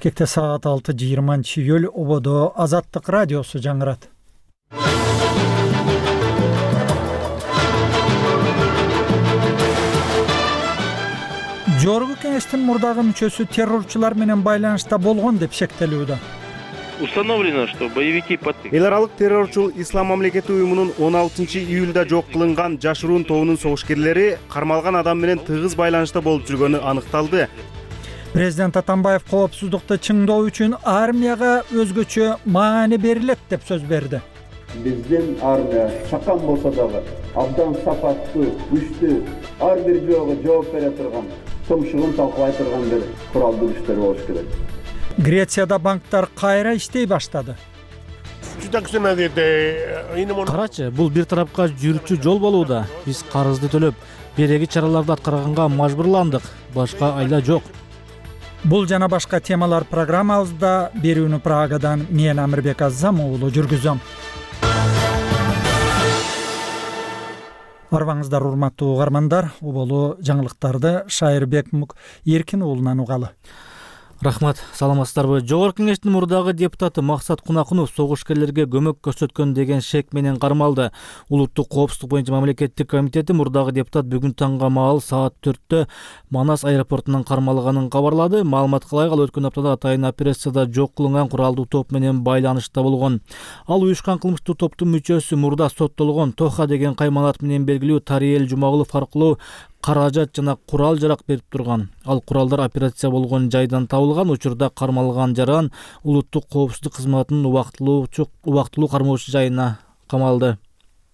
Бишкекте саат 6:20 ободо Азаттык радиосу жаңырат. Жогорку кеңештин мурдагы мүчөсү террорчулар менен байланышта болгон деп шектелүүдө. Установлено, что боевики эл аралык террорчул Ислам мамлекети уюмунун 16-июлда жок кылынган жашыруун тобунун согушкерлери кармалган адам менен тыгыз байланышта болуп жүргөнү аныкталды. Президент Атамбаев коопсуздукты чыңдоо үчүн армияга өзгөчө маани берилет деп сөз берди. Биздин армия чакан болсо дагы абдан сапаттуу, күчтүү, ар бир жоого жооп бере турган, тумшугун талкалай турган бир куралдуу күчтөр болуш керек. Грецияда банктар кайра иштей баштады. Карачы, бул бир тарапка жүрчү жол болууда. Биз карызды төлөп, береги чараларды аткарганга мажбурландык. Башка айла жок. Бул жана башка темалар программабызда. Берүүнү Прагадан мен Амирбек Аззам уулу жүргүзөм. Арбаңыздар урматтуу угармандар, уболу жаңылыктарды Шайырбек Эркин уулунан угалы. Рахмат, саламатсыздарбы? Жогорку кеңештин мурдагы депутаты Максат Кунакунов согушкерлерге көмөк көрсөткөн деген шек менен кармалды. Улуттук коопсуздук боюнча мамлекеттик комитети мурдагы депутат бүгүн таңга маал саат 4-тө Манас аэропортунан кармалганын кабарлады. Маалыматка ылайык, ал өткөн аптада атайын операцияда жок кылынган куралдуу топ менен байланышта болгон. Ал уюшкан кылмыштуу топтун мүчөсү, мурда соттолгон Тоха деген кайманат менен белгилүү Тариел Жумагулов аркылуу каражат жана курал жарак берип турган. Ал куралдар операция болгон жайдан табылган. Учурда кармалган жаран улуттук коопсуздук кызматынын убактылуу кармоочу жайына камалды.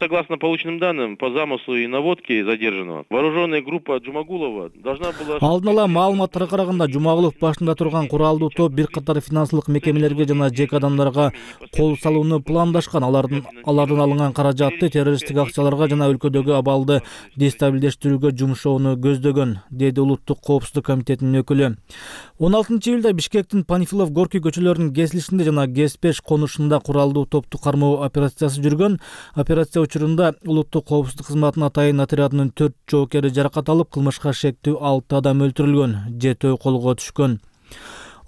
Согласно полученным данным, по замыслу и наводке задержанного, вооруженная группа Джумагулова должна была... Алдын ала маалыматтарга караганда, Жумагулов башында турган куралдуу топ бир катар финансылык мекемелерге жана жеке адамдарга кол салууну пландашкан. Алардан алынган каражатты террористтик акцияларга жана өлкөдөгү абалды дестабилдештирүүгө жумшоону көздөгөн, деди Улуттук коопсуздук комитетинин өкүлү. 16-июлда Бишкектин Панфилов Горький көчөлөрүнүн кесилишинде жана ГЕС-5 конушунда куралдуу топту кармоо операциясы жүргөн. Операция учурунда Улуттук коопсуздук кызматынын атайын отрядынын 4 жоокери жаракат алып, кылмышка шектүү 6 адам өлтүрүлгөн, 7 колго түшкөн.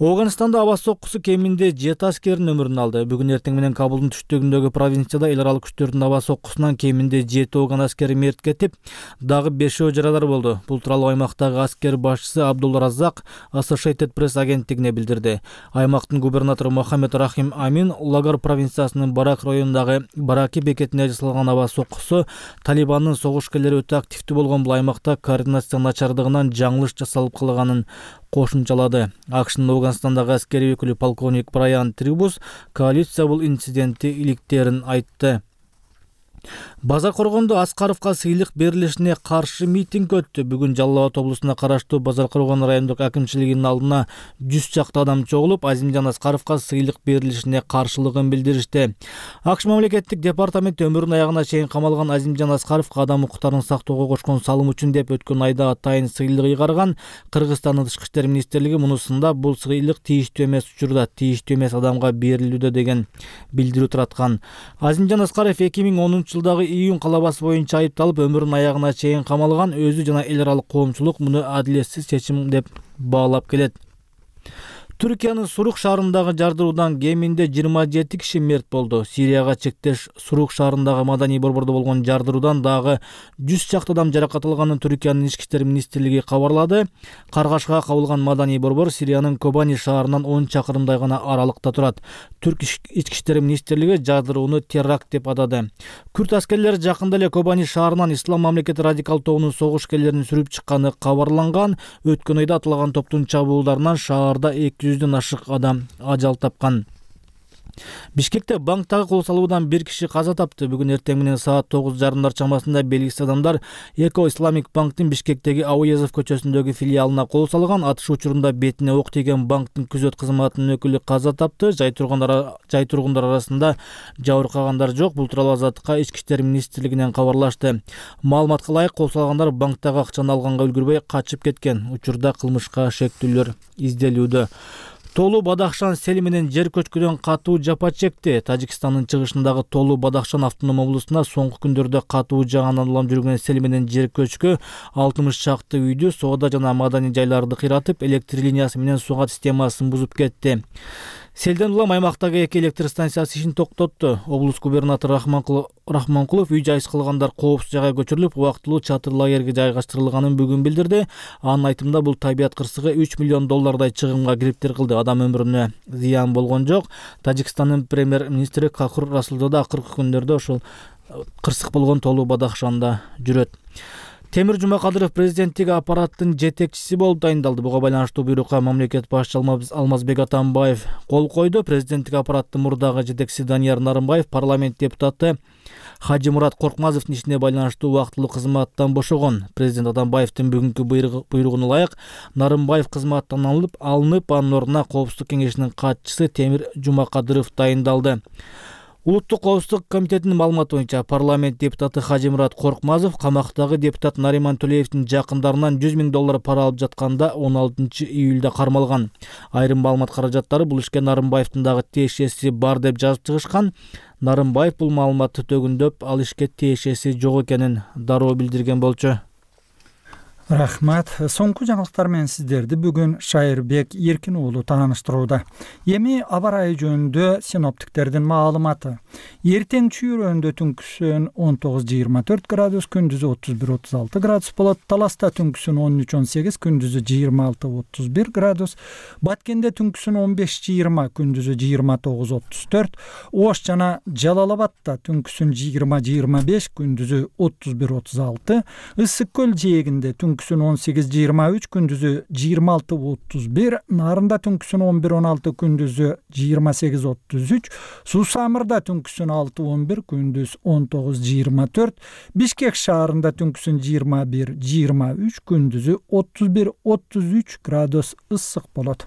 Афганистанда аба соккусу кеминде 7 аскердин өмүрүн алды. Бүгүн эртең менен Кабулдун түштүгүндөгү провинцияда эл аралык күчтөрдүн аба соккусунан кеминде 7 афган аскери мерт кетип, дагы 5 жарадар болду. Бул тууралуу аймактагы аскер башчысы Абдул Разак Associated Press агенттигине билдирди. Аймактын губернатору Мохаммед Рахим Амин Лагар провинциясынын Барак районундагы Бараки бекетине жасалган аба соккусу Талибандын согушкерлери өтө активдүү болгон бул аймакта координация начардыгынан жаңылыш жасалып калганын кошумчалады. АКШнын Афганистандагы аскери өкүлү полковник Брайан Трибус коалиция бул инцидентти иликтерин айтты. Базар-Коргондо Аскаровго сыйлык берилишине каршы митинг өттү. Бүгүн Жалал Абад облусуна караштуу Базар-Коргон райондук акимчилигинин алдына 100 чакты адам чогулуп, Азимжан Аскаровго сыйлык берилишине каршылыгын билдиришти. АКШ мамлекеттик департаменти өмүрүнүн аягына чейин камалган Азимжан Аскаровго адам укуктарын сактоого кошкон салым үчүн деп өткөн айда атайын сыйлык ыйгарган. Кыргызстандын Тышкы иштер министрлиги мунусунда бул сыйлык тийиштүү эмес учурда тийиштүү эмес адамга берилүүдө деген билдирүү тараткан. Азимжан Аскаров 2010 жылдагы июнь калабасы боюнча айыпталып, өмүрүнүн аягына чейин камалган. Өзү жана эл аралык коомчулук муну адилетсиз чечим деп баалап келет. Түркиянын Сурук шаарындагы жардыруудан кеминде 27 киши мерт болду. Сирияга чектеш Сурук шаарындагы маданий борбордо болгон жардыруудан дагы 100 чакты адам жаракат алганын Түркиянын Ички иштер министрлиги кабарлады. Каргашка кабылган маданий борбор Сириянын Кобани шаарынан 10 чакырымдай гана аралыкта турат. Түрк Ички иштер министрлиги жардырууну теракт деп атады. Күрд аскерлери жакында эле Кобани шаарынан Ислам мамлекети радикал тобунун согушкерлерин сүрүп чыкканы кабарланган. Өткөн айда атылган топтун чабуулдарынан шаарда 200дөн ашык адам ажал тапкан. Бишкекте банктагы кол салуудан бир киши каза тапты. Бүгүн эртең менен саат 9:30 чамасында белгисиз адамдар Эко Исламик банктын Бишкектеги Ауезов көчөсүндөгү филиалына кол салган. Атыш учурунда бетине ок тийген банктын күзөт кызматынын өкүлү каза тапты. Жай тургундар арасында жабыркагандар жок. Бул тууралуу Азаттыкка Ички иштер министрлигинен кабарлашты. Маалыматка ылайык, кол салгандар банктагы акчаны алганга үлгүрбөй качып кеткен. Учурда кылмышка шектүүлөр изделүүдө. Толу Бадахшан сели менен жер көчкүдөн катуу жапа чекти. Тажикстандын чыгышындагы Толу Бадахшан автоном облусуна соңку күндөрдө катуу жааган улам жүргөн сели менен жер көчкү 60 чакты үйдү, соода жана маданий жайларды кыйратып, электр линиясы менен суу системасын бузуп кетти. Селден улам аймактагы 2 электр станциясы ишин токтотту. Облус губернатору Рахманкулов үй жайсыз калгандар коопсуз жайга көчүрүлүп, убактылуу чатыр лагерге жайгаштырылганын бүгүн билдирди. Анын айтымында бул табият кырсыгы $3 миллион чыгымга кириптир кылды. Адам өмүрүнө зыян болгон жок. Тажикстандын премьер-министри Кахур Расулдо да акыркы күндөрдө ошол кырсык болгон Толу Бадахшанда жүрөт. Темир Жумакадыров президенттик аппараттын жетекчиси болуп дайындалды. Буга байланыштуу буйрукка мамлекет башчы Алмазбек Атамбаев кол койду. Президенттик аппараттын мурдагы жетекчиси Данияр Нарымбаев парламент депутаты Хажимурат Коркмазовдун ишине байланыштуу убактылуу кызматтан бошогон. Президент Атамбаевдин бүгүнкү буйругуна ылайык Нарымбаев кызматтан алынып, анын ордуна Коопсуздук кеңешинин катчысы Темир Жумакадыров дайындалды. Улуттук коопсуздук комитетинин маалыматы боюнча парламент депутаты Хажимурат Коркмазов камактагы депутат Нариман Төлеевдин жакындарынан $100 000 пара алып жатканда 16 июлда кармалган. Айрым маалымат каражаттары бул ишке Нарымбаевдин дагы тиешеси бар деп жазып чыгышкан. Нарымбаев бул маалыматты төгүндөп, ал ишке тиешеси жок экенин дароо билдирген болчу. Рахмат. Соңку жаңылыктар менен сиздерди бүгүн Шайырбек Эркин уулу тааныштырууда. Эми аба ырайы жөнүндө синоптиктердин маалыматы. Эртең чүйрөндө түнкүсүн 19-24 градус, күндүзү 31-36 градус болот. Таласта түнкүсүн 13-18, күндүзү 26-31 градус. Баткенде түнкүсүн 15-20, күндүзү 29-34. Ош жана Жалалабадта түнкүсүн 20-25, күндүзү 31-36. Ысык көл жээгинде түнкүсүн 18-23, күндүзү 26-31, Нарында түнкүсүн 11-16, күндүзү 28-33, Сусамырда түнкүсүн 6-11, күндүз 19-24, Бишкек шаарында түнкүсүн 21-23, күндүзү 31-33 градус ысык болот.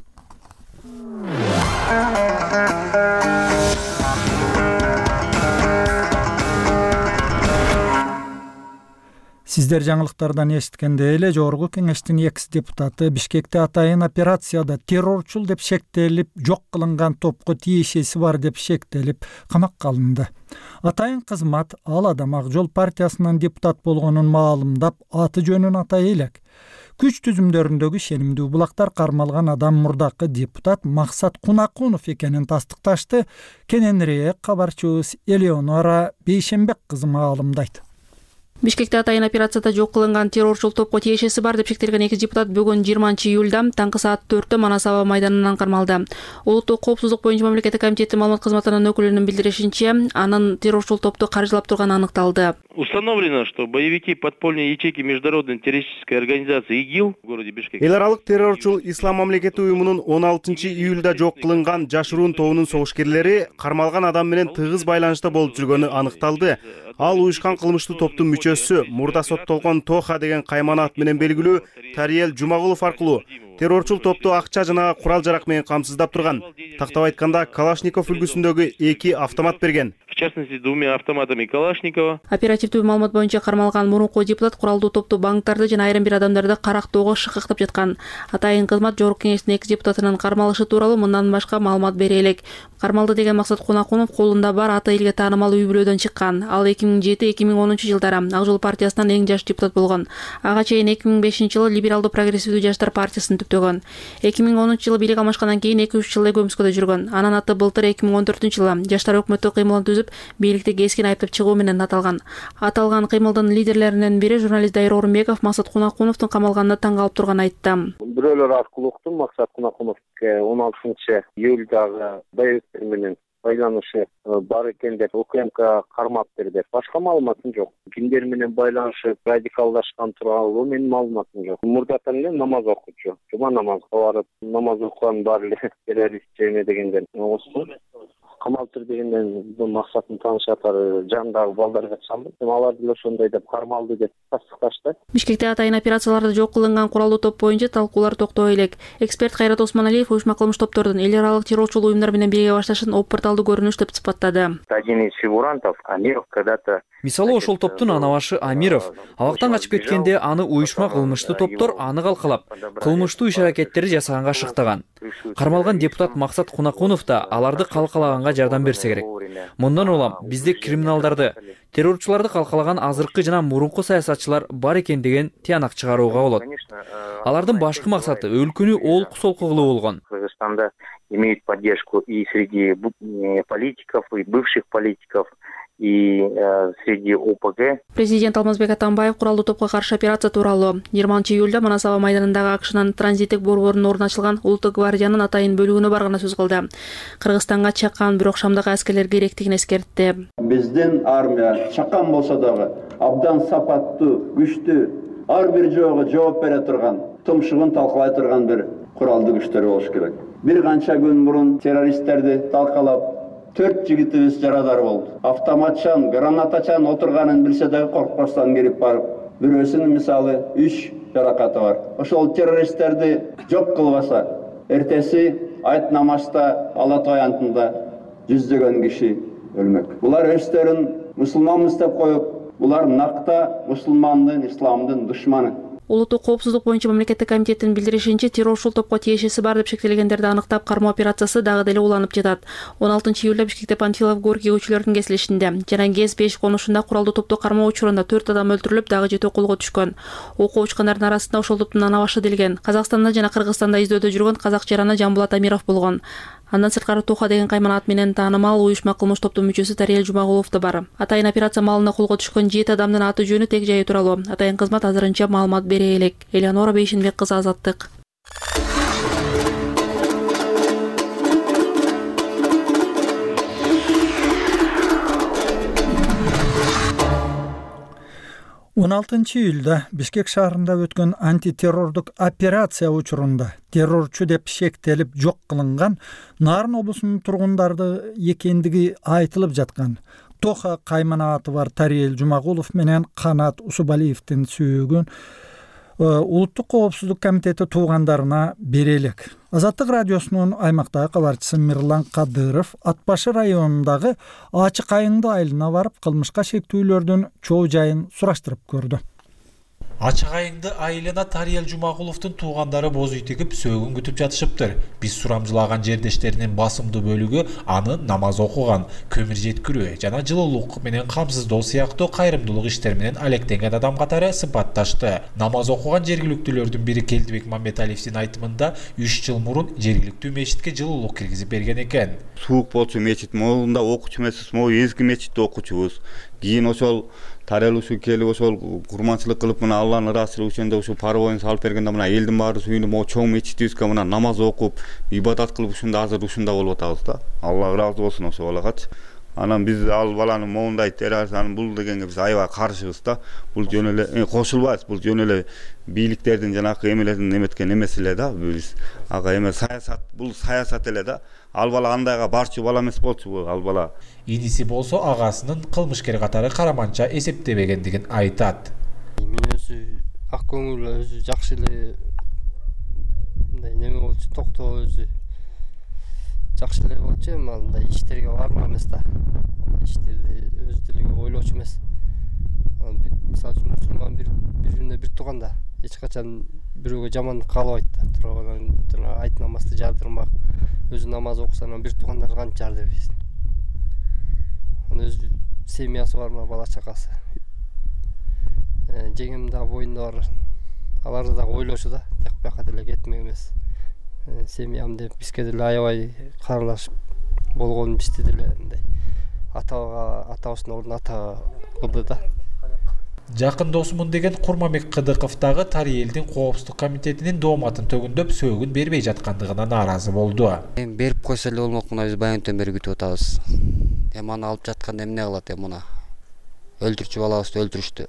Сиздер жаңылыктардан эшиткенде эле Жогорку Кеңештин экс-депутаты Бишкекте атайын операцияда террорчул деп шектелип, жок кылынган топко тиешеси бар деп шектелип, камакка алынды. Атайын кызмат ал адам Ак Жол партиясынын депутат болгонун маалымдап, аты жөнүн атай элек. Күч түзүмдөрүндөгү ишенимдүү булактар кармалган адам мурдакы депутат Максат Кунакунов экенин тастыкташты. Кененирээк кабарчыбыз Элеонора Бейшембек кызы маалымдайт. Бишкекте атайын операцияда жок кылынган террорчул топко тиешеси бар деп шектелген эки депутат бүгүн 20 июлда таңкы саат 4-тө Манас аба майданынан кармалды. Улуттук коопсуздук боюнча мамлекеттик комитеттин маалымат кызматынын өкүлүнүн билдиришинче, анын террорчул топту каржылап турганы аныкталды. Установлено, что боевики подпольной ячейки международной террористической организации ИГИЛ в городе Бишкек. Эл аралык террорчул Ислам мамлекети уюмунун 16 июлда жок кылынган жашыруун тобунун согушкерлери кармалган адам менен тыгыз байланышта болуп жүргөнү аныкталды. Ал уюшкан кылмыштуу топтун мүчөсү, мурда соттолгон Тоха деген каймана ат менен белгилүү Тариел Жумагулов аркылуу террорчул топту акча жана курал-жарак менен камсыздап турган. Тактап айтканда, Калашников үлгүсүндөгү 2 автомат берген. В частности, 2 автоматами Калашникова. Оперативдүү маалымат боюнча кармалган мурунку депутат куралдуу топту банктарды жана айрым бир адамдарды карактоого шыкыктап жаткан. Атайын кызмат Жогорку Кеңештин экс депутатынын кармалышы тууралуу мындан башка маалымат бере элек. Кармалды деген Максат Кунакунов колунда бар аты элге таанымал үй бүлөдөн чыккан. Ал 2007-2010 жылдары Ак Жол партиясынан эң жаш депутат болгон. Ага чейин 2005 жылы либералдуу прогрессивдүү жаштар партиясын түптөгөн. 2010 жылы бийлик алмашкандан кийин 2-3 жыл Көмскөдө жүргөн. Анан аты былтыр 2014 жылы жаштар өкмөттү кыймылын түзүп, бийликти кескин айыптап чыгуу менен аталган. Аталган кыймылдын лидерлеринен бири журналист Дайыр Орунбеков Максат Кунакуновдун камалганына таң калып турганын айтты. Бирөөлөр аркылуу уктум, Максат Кунакуновго 16 июлдагы боевиктер менен байланышы бар экен деп УКМК кармап берди. Башка маалыматым жок. Кимдер менен байланышып, радикалдашкан тууралуу менин маалыматым жок. Мурдатан эле намаз окуучу. Жума намазга барып, намаз окуган бар эле террорист жеме дегенден окустум. Камалтыр дегенден бул максатын таанышатары жандагы балдарга чалды. Алар деле ошондой деп кармалды деп тастыкташты. Бишкекте атайын операцияларда жок кылынган куралдуу топ боюнча талкуулар токтой элек. Эксперт Кайрат Осмоналиев уюшма кылмыш топтордун эл аралык террорчул уюмдар менен бирге башташын оппорталдуу көрүнүш деп сыпаттады. Один из фигурантов Амиров когда-то Мисалы ошол топтун анабашы Амиров абактан качып кеткенде аны уюшма кылмыштуу топтор аны калкалап, кылмыштуу иш-аракеттери жасаганга шыктаган. Кармалган депутат Максат Кунакунов да аларды калкалаганга жардам берсе керек. Мындан улам бизде криминалдарды, террорчуларды калкалаган азыркы жана мурунку саясатчылар бар экен деген тыянак чыгарууга болот. Алардын башкы максаты өлкөнү олку солку кылуу болгон. Кыргызстанда имеют поддержку и среди политиков, и бывших политиков, и среди ОПГ. Президент Алмазбек Атамбаев куралдуу топко каршы операция тууралуу 20-июлда Манас аба майданындагы АКШнын транзиттик борборунун ордуна ачылган Улуттук гвардиянын Атайын бөлүгүнө барганда сөз кылды. Кыргызстанга чаккан, бирок Шамдагы аскерлер керектигин эскертти. Биздин армия чаккан болсо дагы абдан сапаттуу, күчтүү, ар бир жоого жооп бере турган, тумшугун талкалай турган бир куралдуу күчтөр болуш керек. Бир канча күн мурун террористтерди талкалап 4 жигитибиз жарадар болду. Автоматчан, гранатачан отурганын билсе дагы коркпостон кирип барып, бирөөсүнүн мисалы 3 жаракаты бар. Ошол террористтерди жок кылбаса, эртеси айт намазда Ала Той антында жүздөгөн киши өлмөк. Булар өздөрүн мусулманбыз деп коюп, булар накта мусулмандын, исламдын душманы. Улуттук коопсуздук боюнча мамлекеттик комитеттин билдиришинче, террорчул топко тиешеси бар деп шектелгендерди аныктап кармоо операциясы дагы деле уланып жатат. 16-июлда Бишкекте Панфилов Горький көчөлөрүнүн кесилишинде жана ГЭС-5 конушунда куралдуу топту кармоо учурунда 4 адам өлтүрүлүп, дагы 7 колго түшкөн. Окуу учкандардын арасында ошол топтун ана башы делген. Казакстанда жана Кыргызстанда издөөдө жүргөн казак жараны Жамбулат Амиров болгон. Андан сырткары Туха деген кайман ат менен таанымал уюшма кылмыш топтун мүчөсү Тариел Жумагулов да бар. Атайын операция маалында колго түшкөн 7 адамдын аты жөнү, тег жайы тууралуу Атайын кызмат азырынча маалымат бере элек. Элеонора Бейшинбек кызы, Азаттык. Он 16-июлда Бишкек шаарында өткөн антитеррордук операция учурунда террорчу деп шектелип жок кылынган Нарын облусунун тургундары экендиги айтылып жаткан Тоха каймана аты бар Тариел Жумагулов менен Канат Усубалиевдин сүйөгүн Улуттук коопсуздук комитети туугандарына бере элек. Азаттык радиосунун аймактагы кабарчысы Мирлан Кадыров Ат башы районундагы Ачык Айыңды айылына барып, кылмышка шектүүлөрдүн чоо жайын сураштырып көрдү. Ачык Айыңды айылына Тариел Жумагуловдун туугандары боз үй тигип сөөгүн күтүп жатышыптыр. Биз сурамжылаган жердештеринин басымдуу бөлүгү аны намаз окуган, көмүр жеткирүү жана жылуулук менен камсыздоо сыяктуу кайрымдуулук иштери менен алектенген адам катары сыпатташты. Намаз окуган жергиликтүүлөрдүн бири Келдибек Мамбеталиевдин айтымында 3 жыл мурун жергиликтүү мечитке жылуулук киргизип берген экен. Суук болчу мечит, могунда окуучу эмеспиз, могу эзги мечитте окуучубуз. Кийин ошол Тариел ушу келип ошол курманчылык кылып мына Алланын ыраазычылыгы үчүн ушу парбоюн салып бергенде мына элдин баары сүйүнүп могу чоң мечитибизге мына намаз окуп, ибадат кылып ушунда азыр ушунда болуп атабыз да. Алла ыраазы болсун ошо балагачы. Анан биз ал баланын моундай терроризм бул дегенге биз аябай каршыбыз да. Бул жөн эле кошулбайбыз. Бул жөн эле бийликтердин жанакы эмелердин эметкен эмеси эле да. Биз ага эме саясат, бул саясат эле да. Ал бала андайга барчу бала эмес болчу ал бала. Иниси болсо агасынын кылмышкер катары караманча эсептебегендигин айтат. Мен өзү ак көңүл, өзү жакшы эле мындай неме болчу, токтоо өзү жакшы эле болчу, эми мындай иштерге барма эмес да. Иштерди өзү деле ойлочу эмес. Мисалы үчүн мусулман бирине бир тууганда эч качан бирөөгө жамандык каалабайт да. Туруп жана айт намазды жардырмак, өзү намаз окуса анан бир туугандары канча жар дебейсиң. Өзү семьясы бар, бала чакасы. Жеңем да боюнда бар. Аларды да ойлочу да, тек бияка деле кетмек эмес. Семьям деп бизге деле аябай каралашып болгон, бизди деле мындай атабыздын ордуна ата кылды да. Жакын досумун деген Курманбек Кыдыков дагы Тариелдин коопсуздук комитетинин дооматын төгүндөп сөөгүн бербей жаткандыгына нааразы болду. Эми берип койсо эле болмок, мына биз баягынтен бери күтүп атабыз. Эми аны алып жатканда эмне кылат, эми мына өлтүрчү балабызды өлтүрүштү.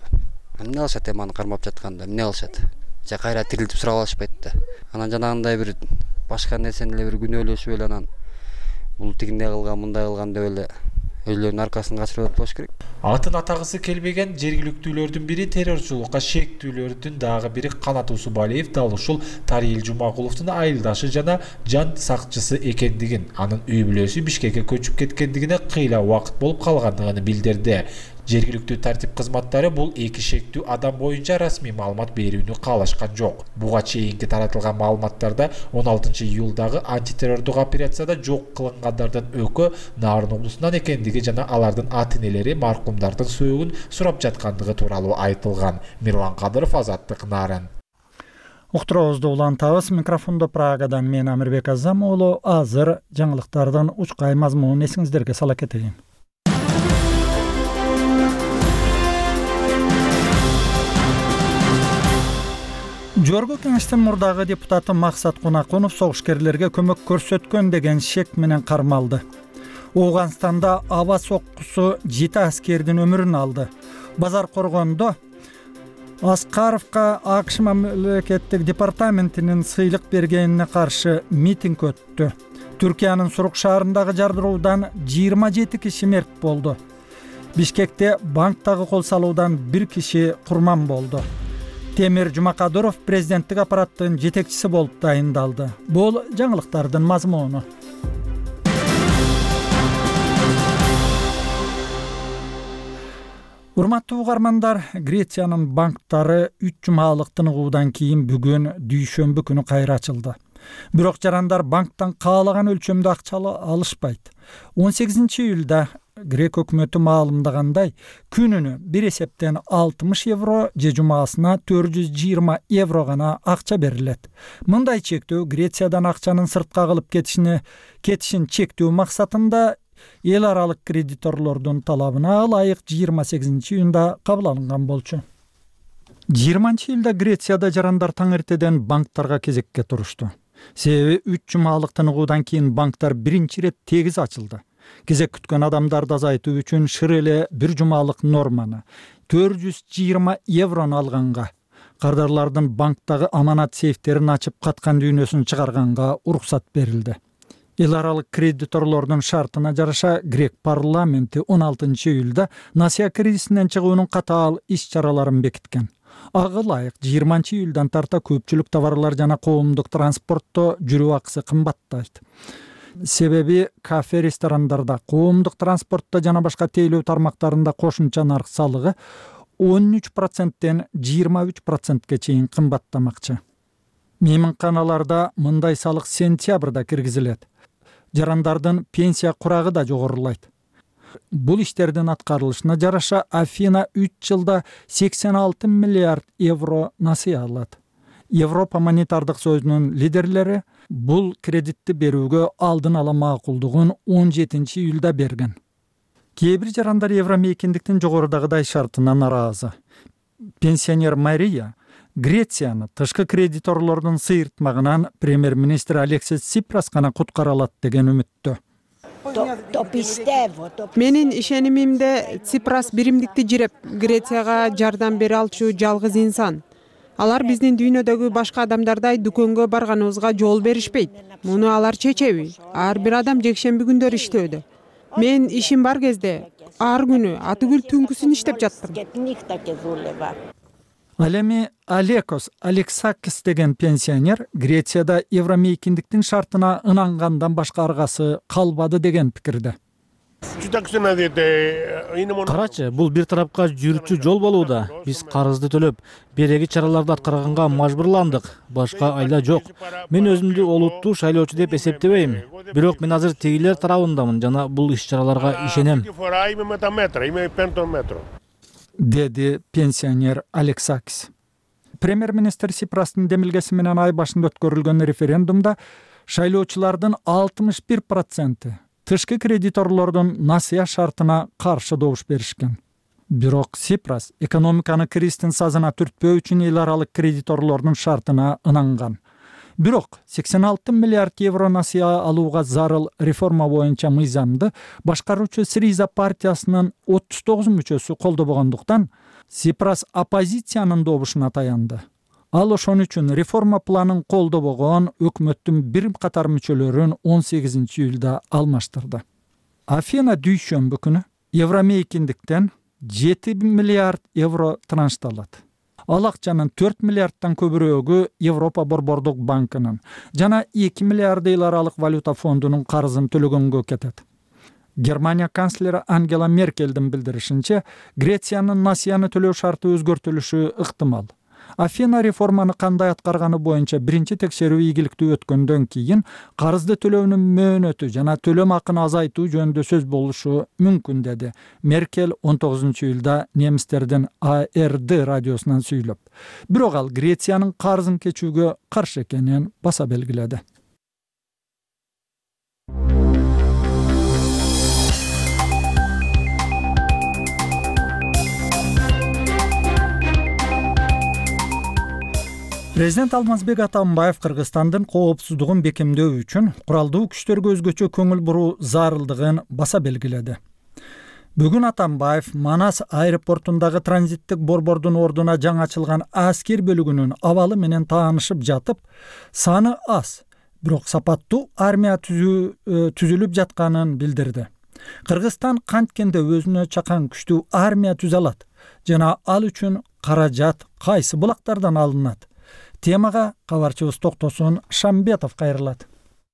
Эмне кылышат, эми аны кармап жатканда эмне кылышат? Же кайра тирилтип сурап алышпайт да. Анан жанагындай бир башка нерсени эле бир күнөөлөшүп эле анан бул тигиндей кылган, мындай кылган деп эле өзлөрүнүн аркасын качырып атпаш керек. Атын атагысы келбеген жергиликтүүлөрдүн бири террорчулукка шектүүлөрдүн дагы бири Канат Усубалиев дал ушул Тариел Жумагуловдун айылдашы жана жан сакчысы экендигин, анын үй бүлөсү Бишкекке көчүп кеткендигине кыйла убакыт болуп калгандыгын билдирди. Жергиликтүү тартип кызматтары бул эки шектүү адам боюнча расмий маалымат берүүнү каалашкан жок. Буга чейинки таратылган маалыматтарда 16-июлдагы антитеррордук операцияда жок кылынгандардын экөө Нарын облусунан экендиги жана алардын ата-энелери маркумдардын сөөгүн сурап жаткандыгы тууралуу айтылган. Мирлан Кадыров, Азаттык, Нарын. Уктуруубузду улантабыз. Микрофондо Прагадан мен Амирбек Азам уулу. Азыр жаңылыктардын учкай мазмунун эсиңиздерге сала кетейин. Жогорку Кеңештин мурдагы депутаты Максат Кунакунов согушкерлерге көмөк көрсөткөн деген шек менен кармалды. Ооганстанда аба соккусу 7 аскердин өмүрүн алды. Базар коргондо Аскаровка АКШ мамлекеттик департаментинин сыйлык бергенине каршы митинг өттү. Түркиянын Сурук шаарындагы жардыруудан 27 киши мерт болду. Бишкекте банктагы кол салуудан 1 киши курман болду. Темир Жумакадыров президенттик аппараттын жетекчиси болуп дайындалды. Бул жаңылыктардын мазмуну. Урматтуу угармандар, Грециянын банктары 3 жумалык тыныгуудан кийин бүгүн дүйшөмбү күнү кайра ачылды. Бирок жарандар банктан каалаган өлчөмдө акча алышпайт. 18-июлда Грек өкмөтү маалымдагандай, күнүнө бир эсептен 60 евро же жумасына 420 евро гана акча берилет. Мындай чектөө Грециядан акчанын сыртка кылып кетишин чектөө максатында эл аралык кредиторлордун талабына ылайык 28-июнда кабыл алынган болчу. 20-июлда Грецияда жарандар таң эртеден банктарга кезекке турушту. Себеби 3 жумалык тыныгуудан кийин банктар биринчи ирет тегиз ачылды. Кезек күткөн адамдарды азайтуу үчүн шыр эле 1 жумалык норманы 420 еврону алганга, кардарлардын банктагы аманат сейфтерин ачып каткан дүйнөсүн чыгарганга уруксат берилди. Эл аралык кредиторлордун шартына жараша Грек парламенти 16-июлда Насия кризисинен чыгуунун катаал иш-чараларын бекиткен. Ага ылайык 20-июлдан тарта көпчүлүк товарлар жана коомдук транспортто жүрүү акысы кымбаттайт. Себеби кафе, ресторандарда, коомдук транспортто жана башка тейлөө тармактарында кошумча нарк салыгы 13%тен 23%ке чейин кымбаттамакчы. Мейманканаларда мындай салык сентябрда киргизилет. Жарандардын пенсия курагы да жогорулайт. Бул иштердин аткарылышына жараша Афина 3 жылда 86 миллиард евро насыя алат. Европа монетардык союзунун лидерлери бул кредитти берүүгө алдын ала макулдугун 17-июлда берген. Кээ бир жарандар евромейкиндиктин жогорудагыдай шартына наразы. Пенсионер Мария Грецияны тышкы кредиторлордун сыйыртмагынан премьер-министр Алексис Ципрас гана куткара алат деген үмүттө. Менин ишенимимде Ципрас биримдикти жиреп Грецияга жардам бере алчу жалгыз инсан. Алар биздин дүйнөдөгү башка адамдардай дүкөнгө барганыбызга жол беришпейт. Муну алар чечеби? Ар бир адам жекшемби күндөрү иштөөдө. Мен ишим бар кезде ар күнү атүгүл түнкүсүн иштеп жаттым. Ал эми Алексис Алексакис деген пенсионер Грецияда евромейкиндиктин шартына ынангандан башка аргасы калбады деген пикирде. Карачы, бул бир тарапка жүрүүчү жол болууда. Биз карызды төлөп, береги чараларды аткарганга мажбурландык. Башка айла жок. Мен өзүмдү олуттуу шайлоочу деп эсептебейм. Бирок мен азыр тегилер тарабындамын жана бул иш-чараларга ишенем. Деди пенсионер Алексакис. Премьер-министр Ципрастын демилгеси менен ай башында өткөрүлгөн референдумда шайлоочулардын 61% тышкы кредиторлордун насыя шартына каршы добуш беришкен. Бирок Ципрас экономиканы кризистин сазына түртпөө үчүн эл аралык кредиторлордун шартына ынанган. Бирок 86 миллиард евро насыя алууга зарыл реформа боюнча мыйзамды башкаруучу Сириза партиясынын 39 мүчөсү колдобогондуктан Ципрас оппозициянын добушуна таянды. Ал ошон үчүн реформа планын колдобогон өкмөттүн бир катар мүчөлөрүн 18-июлда алмаштырды. Афина дүйшөмбү күнү евромейкиндиктен 7 миллиард евро траншталат. Ал акчанын 4 миллиардтан көбүрөөгү Европа борбордук банкынын жана 2 миллиард эл аралык валюта фондунун карызын төлөгөнгө кетет. Германия канцлери Ангела Меркельдин билдиришинче, Грециянын насыяны төлөө шарты өзгөртүлүшү ыктымал. Афина реформаны кандай аткарганы боюнча биринчи текшерүү ийгиликтүү өткөндөн кийин карызды төлөөнүн мөөнөтү жана төлөм акын азайтуу жөнүндө сөз болушу мүмкүн деди Меркель 19-июлда немистердин ARD радиосунан сүйлөп. Бирок ал Грециянын карызын кечүүгө каршы экенин баса белгиледи. Президент Алмазбек Атамбаев Кыргызстандын коопсуздугун бекемдөө үчүн куралдуу күчтөргө өзгөчө көңүл буруу зарылдыгын баса белгиледи. Бүгүн Атамбаев Манас аэропортундагы транзиттик борбордун ордуна жаңы ачылган аскер бөлүгүнүн абалы менен таанышып жатып, саны аз, бирок сапаттуу армия түзүлүп жатканын билдирди. Кыргызстан канткенде өзүнө чакан күчтүү армия түзө алат жана ал үчүн каражат кайсы булактардан алынат? Темага кабарчыбыз Токтосун Шамбетов кайрылат.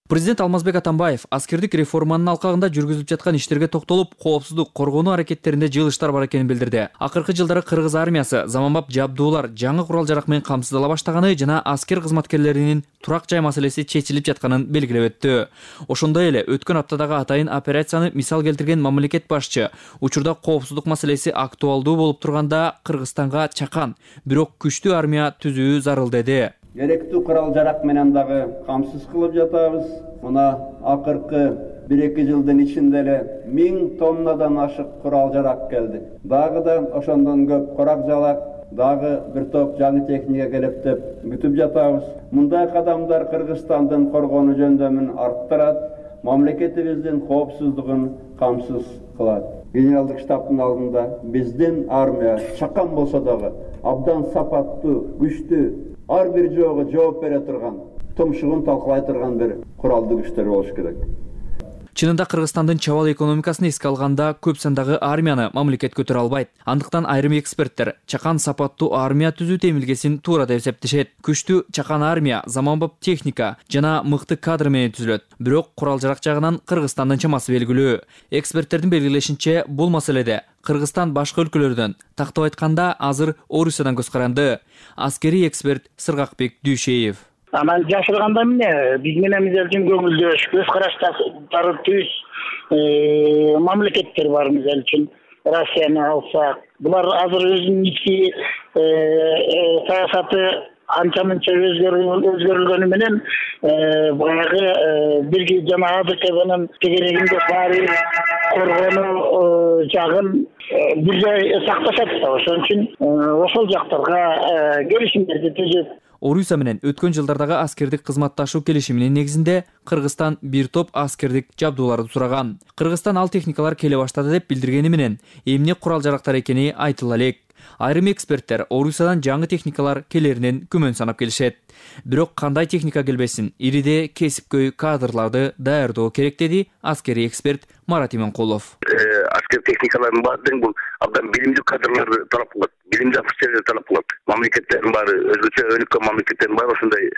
Президент Алмазбек Атамбаев аскердик реформанын алкагында жүргүзүлүп жаткан иштерге токтолуп, коопсуздук коргонуу аракеттеринде жылыштар бар экенин билдирди. Акыркы жылдары кыргыз армиясы заманбап жабдуулар, жаңы курал-жарак менен камсыздала баштаганы жана аскер кызматкерлеринин турак жай маселеси чечилип жатканын белгилеп өттү. Ошондой эле өткөн аптадагы атайын операцияны мисал келтирген мамлекет башчы, учурда коопсуздук маселеси актуалдуу болуп турганда Кыргызстанга чакан, бирок күчтүү армия түзүү зарыл деди. Керектүү курал-жарак менен дагы камсыз кылып жатабыз. Мына акыркы 1-2 жылдын ичинде эле 1000 тоннадан ашык курал-жарак келди. Дагы да ошондон көп корак-жалак, дагы бир топ жаңы техника келип деп күтүп жатабыз. Мындай кадамдар Кыргызстандын коргонуу жөндөмүн арттырат, мамлекетибиздин коопсуздугун камсыз кылат. Генералдык штабтын алдында биздин армия чакан болсо дагы абдан сапаттуу, күчтүү, ар бир жоого жооп бере турган, тумшугун талкалай турган бир куралдуу күчтөр болуш керек. Чынында Кыргызстандын чабал экономикасын эске алганда көп сандагы армияны мамлекет көтөрө албайт. Андыктан айрым эксперттер чакан сапаттуу армия түзүү темилгесин туура деп эсептешет. Күчтүү чакан армия заманбап техника жана мыкты кадр менен түзүлөт. Бирок курал-жарак жагынан Кыргызстандын чамасы белгилүү. Эксперттердин белгилешинче, бул маселеде Кыргызстан башка өлкөлөрдөн, тактап айтканда азыр Орусиядан көз каранды. Аскерий эксперт Сыргакбек Дүйшеев. Анан жашырганда эмне биз менен мисалы үчүн көңүлдөш, көз караштары түз мамлекеттер бар. Мисалы үчүн Россияны алсак, булар азыр өзүнүн ички саясаты анча-мынча өзгөрүлгөнү менен баягы бирги жана АДКнын тегерегинде баары коргонуу жагын бир жай сакташат да. Ошон үчүн ошол жактарга келишимдерди түзүп Орусия менен өткөн жылдардагы аскердик кызматташуу келишиминин негизинде Кыргызстан бир топ аскердик жабдууларды сураган. Кыргызстан ал техникалар келе баштады деп билдиргени менен эмне курал-жарактар экени айтыла элек. Айрым эксперттер Орусиядан жаңы техникалар келеринен күмөн санап келишет. Бирок кандай техника келбесин, ириде кесипкөй кадрларды даярдоо керек деди аскерий эксперт Марат Именкулов. Аскер техникаларын баардыгын бул абдан билимдүү кадрларды талап кылат, билимдүү офицерлерди талап кылат. Мамлекеттердин баары, өзгөчө өнүккөн мамлекеттердин баары ошондой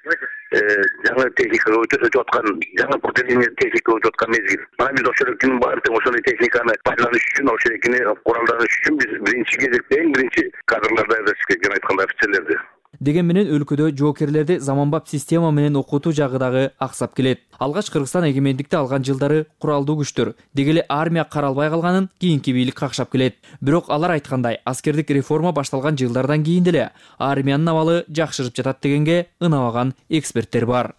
жаңы техникага өтүп аткан, жаңы поколение техника өтүп аткан мезгил. Мына биз ошол элкинин баардыгын ошондой техниканы пайдаланыш үчүн, ошол элкини куралданыш үчүн биз биринчи кезекте эң биринчи кадрларды даярдаш керек, жана айткандай офицерлерди. Деген менен өлкөдө жоокерлерди заманбап система менен окутуу жагы дагы аксап келет. Алгач Кыргызстан эгемендикти алган жылдары куралдуу күчтөр, дегеле армия каралбай калганын кийинки бийлик какшап келет. Бирок алар айткандай, аскердик реформа башталган жылдардан кийин деле армиянын абалы жакшырып жатат дегенге ынабаган эксперттер бар.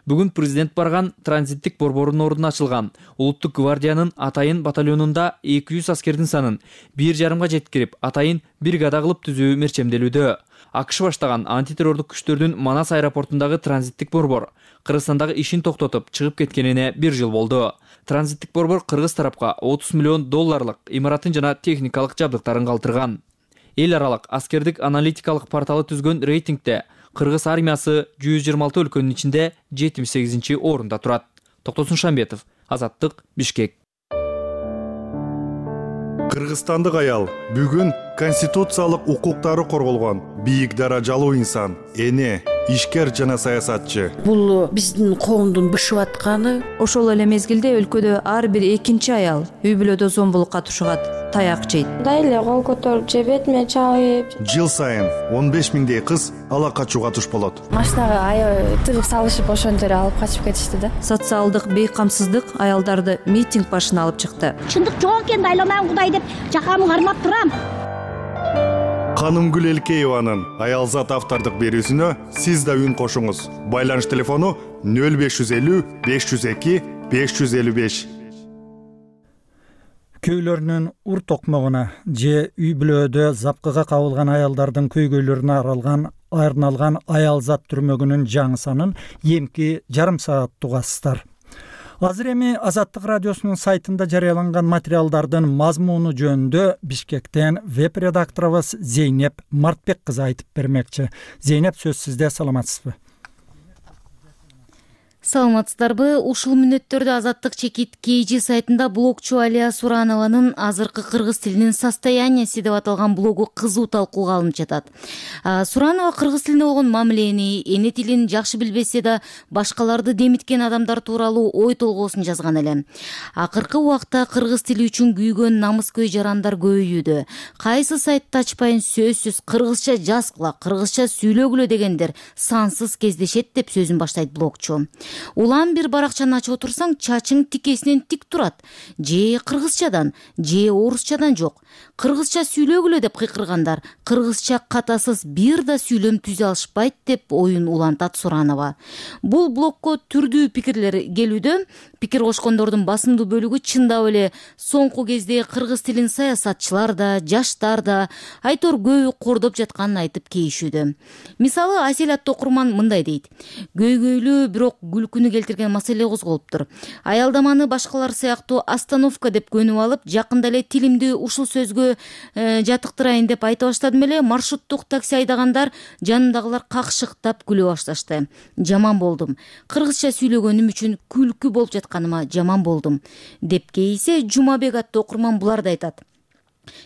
Бүгүн президент барган транзиттик борбордун ордуна ачылган Улуттук гвардиянын Атайын батальонунда 200 аскердин санын 1,5 жеткирип, Атайын бригада кылып түзүү мерчемделүүдө. АКШ баштаган антитеррордук күчтөрдүн Манас аэропортундагы транзиттик борбор Кыргызстандагы ишин токтотуп чыгып кеткенине 1 жыл болду. Транзиттик борбор кыргыз тарапка $30 миллион имаратын жана техникалык жабдыктарын калтырган. Эл аралык аскердик аналитикалык порталы түзгөн рейтингде Кыргыз армиясы 126 өлкөнүн ичинде 78-чи орунда турат. Токтосун Шамбетов, Азаттык, Бишкек. Кыргызстандык аял бүгүн конституциялык укуктары корголгон бийик даражалуу инсан, эне, ишкер жана саясатчы. Бул биздин коомдун бышып атканы. Ошол эле мезгилде өлкөдө ар бир экинчи аял үй бүлөдө зомбулукка тушугат, таяк жейт. Мындай эле кол көтөрүп же бетиме чабып. Жыл сайын 15 миңдей кыз ала качууга туш болот. Машинага аябай тыгып салышып ошентип алып качып кетишти да. Социалдык бейкамсыздык аялдарды митинг башына алып чыкты. Чындык жок экенди айланам Кудай деп жакамды кармап турам. Канымгүл Элкееванын Аялзат автордук берүүсүнө сиз да үн кошуңуз. Байланыш телефону 0550 502 555. Көйлөрүнүн ур токмогуна же үй бүлөдө запкыга кабылган аялдардын көйгөйлөрүнө арналган Аялзат түрмөгүнүн жаңы санын эмки жарым саат угасыздар. Азыр эми Азаттык радиосунун сайтында жарыяланган материалдардын мазмуну жөнүндө Бишкектен веб-редакторубуз Зейнеп Мартбек кызы айтып бермекчи. Зейнеп, сөз сизде, саламатсызбы? Саламатсыздарбы? Ушул мүнөттөрдө Азаттык чекит KG сайтында блогчу Алия Суранованын азыркы кыргыз тилинин состоянияси деп аталган блогу кызуу талкууга алынып жатат. Суранова кыргыз тилине болгон мамилени, эне тилин жакшы билбесе да башкаларды демиткен адамдар тууралуу ой толгоосун жазган эле. Акыркы убакта кыргыз тили үчүн күйгөн намыскөй жарандар көбөйүүдө. Кайсы сайтты ачпайын сөзсүз кыргызча жазгыла, кыргызча сүйлөгүлө дегендер сансыз кездешет деп сөзүн баштайт блогчу. Улам бир баракчаны ачып отурсаң, чачың тикесинен тик турат. Же кыргызчадан, же орусчадан жок. Кыргызча сүйлөгүлө деп кыйкыргандар, кыргызча катасыз бир да сүйлөм түзө алышпайт деп оюн улантат Суранова. Бул блогко түрдүү пикирлер келүүдө. Пикир кошкондордун басымдуу бөлүгү чындап эле соңку кезде кыргыз тилин саясатчылар да, жаштар да айтор көбү кордоп жатканын айтып кейишүүдө. Мисалы, Асель аттуу окурман мындай дейт: көйгөйлүү бирок күлкүнү келтирген маселе козголуптур. Аялдаманы башкалар сыяктуу остановка деп көнүп алып, жакында эле тилимди ушул сөзгө жатыктырайын деп айта баштадым эле. Маршруттук такси айдагандар жанымдагылар какшыктап күлө башташты. Жаман болдум. Кыргызча сүйлөгөнүм үчүн күлкү болуп жатканыма жаман болдум деп кейисе, Жумабек аттуу окурман буларды айтат.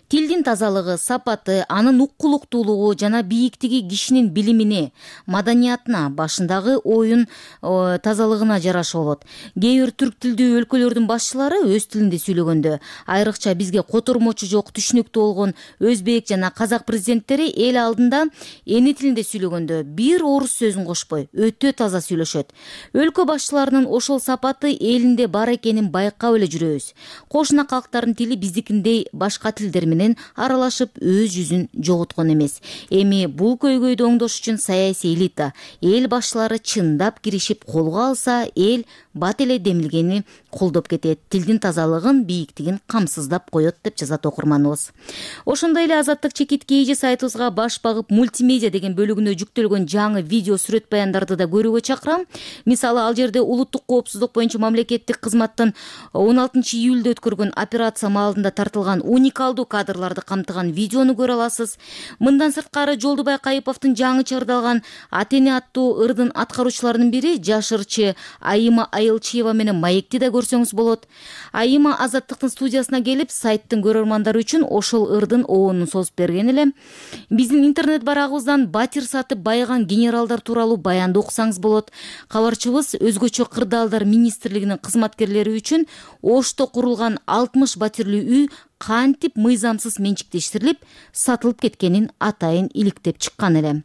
Тилдин тазалыгы, сапаты, анын уккулуктуулугу жана бийиктиги кишинин билимине, маданиятына, башындагы оюн тазалыгына жараша болот. Кээ бир түрк тилдүү өлкөлөрдүн башчылары өз тилинде сүйлөгөндө, айрыкча бизге котормочу жок, түшүнүктүү болгон өзбек жана казак президенттери эл алдында эне тилинде сүйлөгөндө бир орус сөзүн кошпой, өтө таза сүйлөшөт. Өлкө башчыларынын ошол сапаты элинде бар экенин байкап эле жүрөбүз. Кошуна калктардын тили биздикиндей башка тилдер менен аралашып өз жүзүн жоготкон эмес. Эми бул көйгөйдү оңдош үчүн саясий элита, эл башчылары чындап киришип колго алса, эл бат эле демилгени колдоп кетет. Тилдин тазалыгын, бийиктигин камсыздап коет деп жазат окурманыбыз. Ошондой эле Азаттык чекит KG сайтыбызга баш багып мультимедиа деген бөлүгүнө жүктөлгөн жаңы видео сүрөт баяндарды да көрүүгө чакырам. Мисалы, ал жерде улуттук коопсуздук боюнча мамлекеттик кызматтын 16 июлда өткөргөн операция маалында тартылган уникалдуу кадрларды камтыган видеону көрө аласыз. Мындан сырткары Жолдубай Кайыповдун жаңы чыгарылган Атене аттуу ырдын аткаруучуларынын бири жаш ырчы Айыма Айылчиева менен маекти да көрсөңүз болот. Айыма Азаттыктын студиясына келип, сайттын көрөрмандары үчүн ошол ырдын оонун созуп берген эле. Биздин интернет барагыбыздан батир сатып байыган генералдар тууралуу баянды окусаңыз болот. Кабарчыбыз өзгөчө кырдаалдар министрлигинин кызматкерлери үчүн Ошто курулган 60 батирлүү үй кантип мыйзамсыз менчиктештирилип, сатылып кеткенин атайын иликтеп чыккан эле.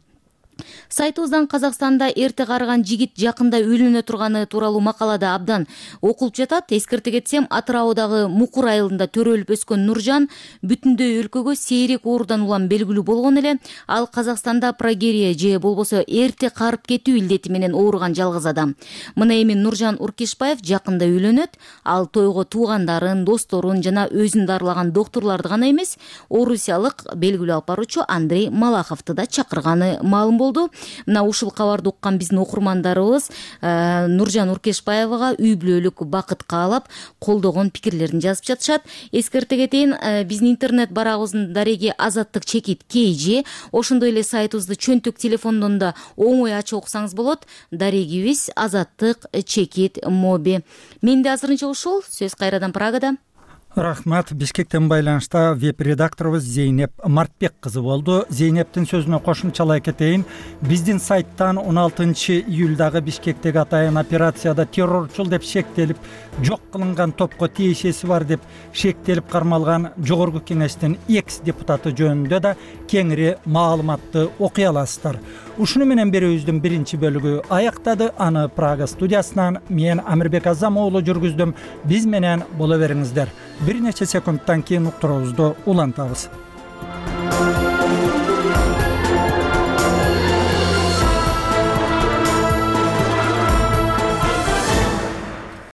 Сайтыбыздан Казакстанда эрте карыган жигит жакында үйлөнө турганы тууралуу макалада абдан окулуп жатат. Эскерте кетсем, Атыраудагы Мукур айылында төрөлүп өскөн Нуржан бүтүндөй өлкөгө сейрек оорудан улам белгилүү болгон эле. Ал Казакстанда прогерия же болбосо эрте карып кетүү илдети менен ооруган жалгыз адам. Мына эми Нуржан Уркешбаев жакында үйлөнөт. Ал тойго туугандарын, досторун жана өзүн дарылаган доктурларды гана эмес, орусиялык белгилүү алып баруучу Андрей Малаховду да чакырганы маалым болду. Мына ушул кабарды уккан биздин окурмандарыбыз Нуржан Уркешбаевага үй бүлөлүк бакыт каалап, колдогон пикирлерин жазып жатышат. Эскерте кетейин, биздин интернет барагыбыздын дареги Азаттык чекит KG, ошондой эле сайтыбызды чөнтөк телефондон да оңой ачып окусаңыз болот. Дарегибиз Азаттык чекит моби. Менде азырынча ушул. Сөз кайрадан Прагада. Рахмат. Бишкектен байланышта веб-редакторубуз Зейнеп Мартбек кызы болду. Зейнептин сөзүнө кошумчалай кетейин. Биздин сайттан 16 июлдагы Бишкектеги атайын операцияда террорчул деп шектелип, жок кылынган топко тиешеси бар деп шектелип кармалган жогорку кеңештин экс депутаты жөнүндө да кеңири маалыматты окуй аласыздар. Ушуну менен берүүбүздүн биринчи бөлүгү аяктады. Аны Прага студиясынан мен Амирбек Азам уулу жүргүздүм. Биз менен боло бериңиздер. Bir neçe sekunddan keyin uqturuğuzdu ulantabız.